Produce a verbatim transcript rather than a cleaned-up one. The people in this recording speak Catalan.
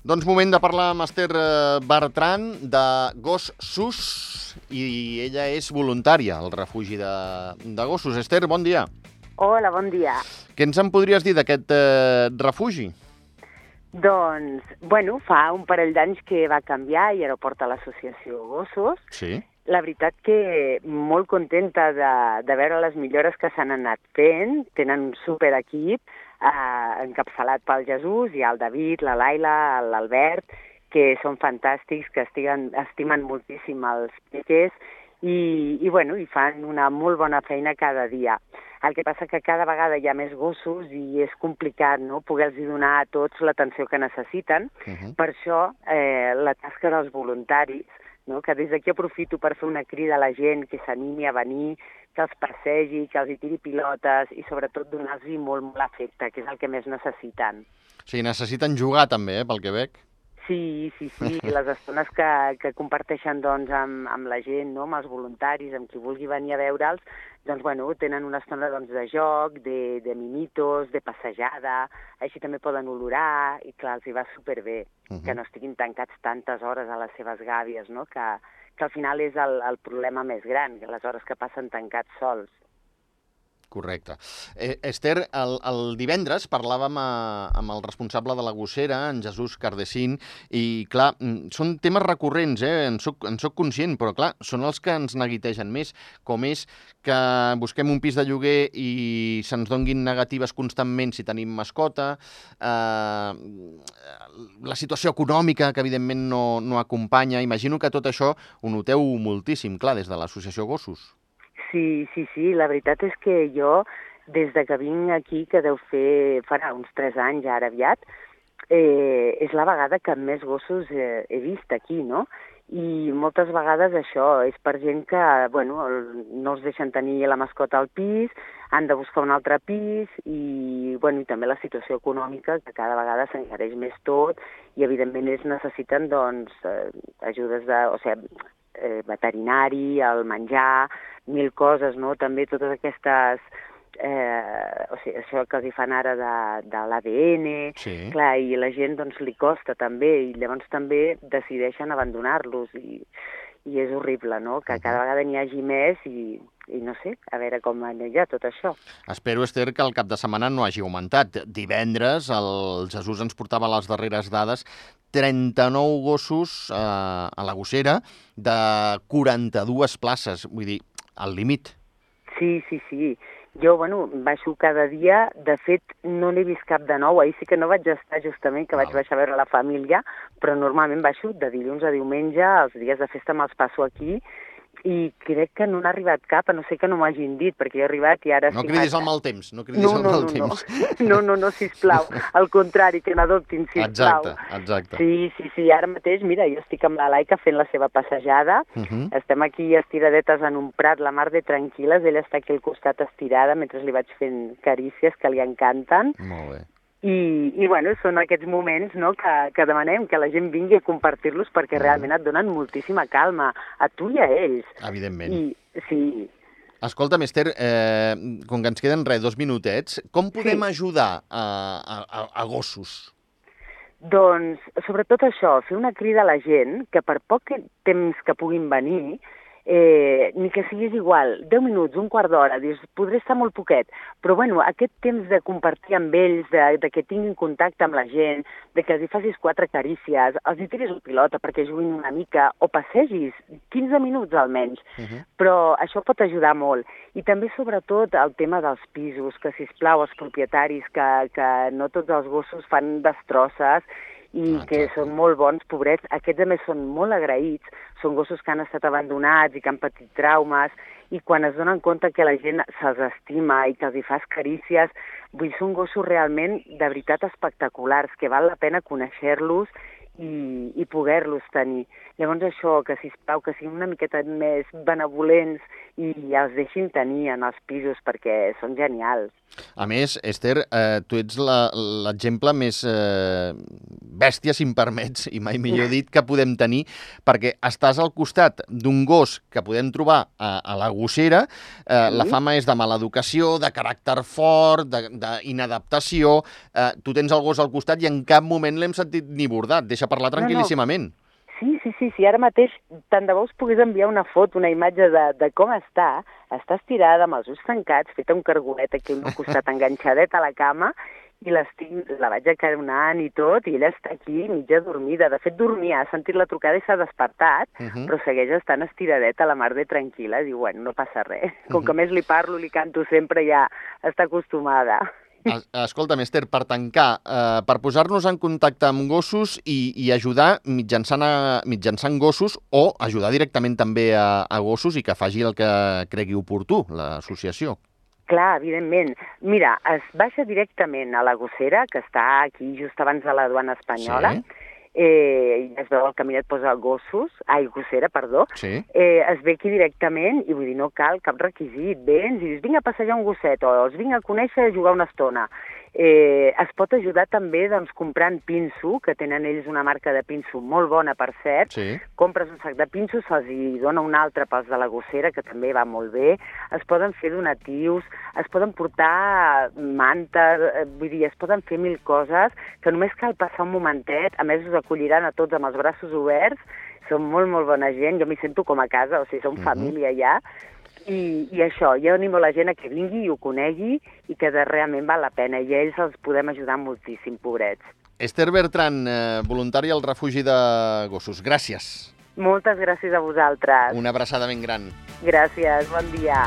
Doncs moment de parlar amb Esther eh, Bertran de Gos Sus i ella és voluntària al refugi de, de gossos. Esther, bon dia. Hola, bon dia. Què ens en podries dir d'aquest eh, refugi? Doncs, bueno, fa un parell d'anys que va canviar i ara ho porta l'associació Gossos. Sí. La veritat que molt contenta de, de veure les millores que s'han anat fent. Tenen un superequip eh, encapçalat pel Jesús, i el David, la Laila, l'Albert, que són fantàstics, que estiguen, estimen moltíssim els peques i, i, bueno, i fan una molt bona feina cada dia. El que passa que cada vegada hi ha més gossos i és complicat, no?, poder-los donar a tots l'atenció que necessiten. Uh-huh. Per això eh, la tasca dels voluntaris, no?, que des d'aquí aprofito per fer una crida a la gent que s'animi a venir, que els passegi, que els hi tiri pilotes i sobretot donar-los molt, molt afecte, que és el que més necessiten. O sigui, necessiten jugar també, eh, pel que veig. Sí, sí, sí, les estones que, que comparteixen doncs, amb, amb la gent, no?, amb els voluntaris, amb qui vulgui venir a veure'ls, doncs, bueno, tenen una estona doncs, de joc, de, de mimitos, de passejada, així també poden olorar, i clar, els hi va superbé, uh-huh. que no estiguin tancats tantes hores a les seves gàbies, no?, que, que al final és el, el problema més gran, que les hores que passen tancats sols. Correcte. Eh, Esther, el, el divendres parlàvem a, amb el responsable de la gossera, en Jesús Cardesín, i clar, són temes recurrents, eh? en soc, en soc conscient, però clar, són els que ens neguitegen més, com és que busquem un pis de lloguer i se'ns donguin negatives constantment si tenim mascota, eh, la situació econòmica, que evidentment no, no acompanya. Imagino que tot això ho noteu moltíssim, clar, des de l'associació Gossos. Sí, sí, sí, la veritat és que jo, des de que vinc aquí, que deu fer, farà uns tres anys ara aviat, eh, és la vegada que més gossos eh, he vist aquí, no? I moltes vegades això és per gent que, bueno, no els deixen tenir la mascota al pis, han de buscar un altre pis i, bueno, i també la situació econòmica, que cada vegada s'encareix més tot i, evidentment, ells necessiten, doncs, eh, ajudes de, o sigui, eh, veterinari, el menjar, mil coses, no? També totes aquestes, eh, o sigui, això que els hi fan ara de, de l'A D N, sí. Clar, i la gent doncs li costa també, i llavors també decideixen abandonar-los, i, i és horrible, no?, que uh-huh. cada vegada n'hi hagi més i, i no sé, a veure com anirà tot això. Espero, Esther, que el cap de setmana no hagi augmentat. Divendres el Jesús ens portava les darreres dades, trenta-nou gossos eh, a la gossera de quaranta-dues places, vull dir, al límit. Sí, sí, sí. Jo, bueno, baixo cada dia. De fet, no n'he vist cap de nou. Ahir sí que no vaig estar, justament, que Val. vaig baixar a veure la família, però normalment baixo de dilluns a diumenge, els dies de festa me'ls passo aquí, i crec que no n'ha arribat cap, a no ser que no m'hagin dit, perquè jo he arribat i ara... No cridis al mal temps, no cridis no, al no, mal no, temps. No, no, no, no, sisplau. Al contrari, que n'adoptin, sisplau. Exacte, exacte. Sí, sí, sí, ara mateix, mira, jo estic amb la Laika fent la seva passejada, uh-huh. estem aquí estiradetes en un prat, la mar de tranquil·les, ella està aquí al costat estirada, mentre li vaig fent carícies que li encanten. Molt bé. I, i bueno, són aquests moments, no?, que, que demanem que la gent vingui a compartir-los perquè mm. realment et donen moltíssima calma, a tu i a ells. Evidentment. I, sí. Escolta'm, Esther, eh, com que ens queden res, dos minutets, com podem sí. ajudar a, a, a gossos? Doncs, sobretot això, fer una crida a la gent que per poc temps que puguin venir, Eh, ni que siguis igual, deu minuts, un quart d'hora, dius, podré estar molt poquet, però bueno, aquest temps de compartir amb ells, de, de que tinguin contacte amb la gent, de que els hi facis quatre carícies, els hi tiris una pilota perquè juguin una mica, o passegis, quinze minuts almenys, uh-huh. però això pot ajudar molt. I també, sobretot, el tema dels pisos, que, sisplau, els propietaris, que, que no tots els gossos fan destrosses, i ah, que són molt bons, pobrets. Aquests, a més, són molt agraïts, són gossos que han estat abandonats i que han patit traumes, i quan es donen compte que la gent se'ls estima i que els hi fas carícies, vull dir, són gossos realment, de veritat, espectaculars, que val la pena conèixer-los i, i poder-los tenir. Llavors això, que sisplau, que siguin una miqueta més benevolents i els deixin tenir en els pisos perquè són genials. A més, Esther, eh, tu ets l'exemple més eh, bèstia, si em permets, i mai millor dit, que podem tenir, perquè estàs al costat d'un gos que podem trobar a, a la gossera. Eh, sí. La fama és de mala educació, de caràcter fort, d'inadaptació. Eh, tu tens el gos al costat i en cap moment l'hem sentit ni bordat. Deixa parlar tranquil·líssimament. No, no. Sí, sí, sí, sí, ara mateix tant de bo us pogués enviar una foto, una imatge de, de com està. Està estirada amb els ulls tancats, feta un cargolet aquí al meu costat, enganxadet a la cama, i la vaig acaronant i tot, i ella està aquí mitja dormida. De fet, dormia, ha sentit la trucada i s'ha despertat, uh -huh. però segueix estant estiradeta a la mar de tranquil·la. Diu, bueno, no passa res. Com que més li parlo, li canto sempre, ja està acostumada. Escolta'm, Esther, per tancar, eh, per posar-nos en contacte amb gossos i, i ajudar mitjançant, a, mitjançant gossos o ajudar directament també a, a gossos i que faci el que cregui oportú, l'associació. Clar, evidentment. Mira, es baixa directament a la gossera, que està aquí just abans de la duana espanyola, sí. Eh, es veu el caminet, posa gossos, ai, gossera, perdó, sí. eh, es ve aquí directament i vull dir, no cal cap requisit, vens i dius, vinc a passejar un gosset o els vinc a conèixer i a jugar una estona. Eh, es pot ajudar també doncs, comprant pinso, que tenen ells una marca de pinso molt bona, per cert. Sí. Compres un sac de pinso, se'ls hi dona un altre pels de la gossera, que també va molt bé. Es poden fer donatius, es poden portar mantes, eh, vull dir, es poden fer mil coses, que només cal passar un momentet, a més us acolliran a tots amb els braços oberts, són molt, molt bona gent, jo m'hi sento com a casa, o sigui, som uh-huh. família ja. I, i això, jo animo la gent a que vingui i ho conegui i que realment val la pena i a ells els podem ajudar moltíssim, pobrets. Esther Bertran, eh, voluntària al refugi de gossos, gràcies. Moltes gràcies a vosaltres. Una abraçada ben gran. Gràcies, bon dia.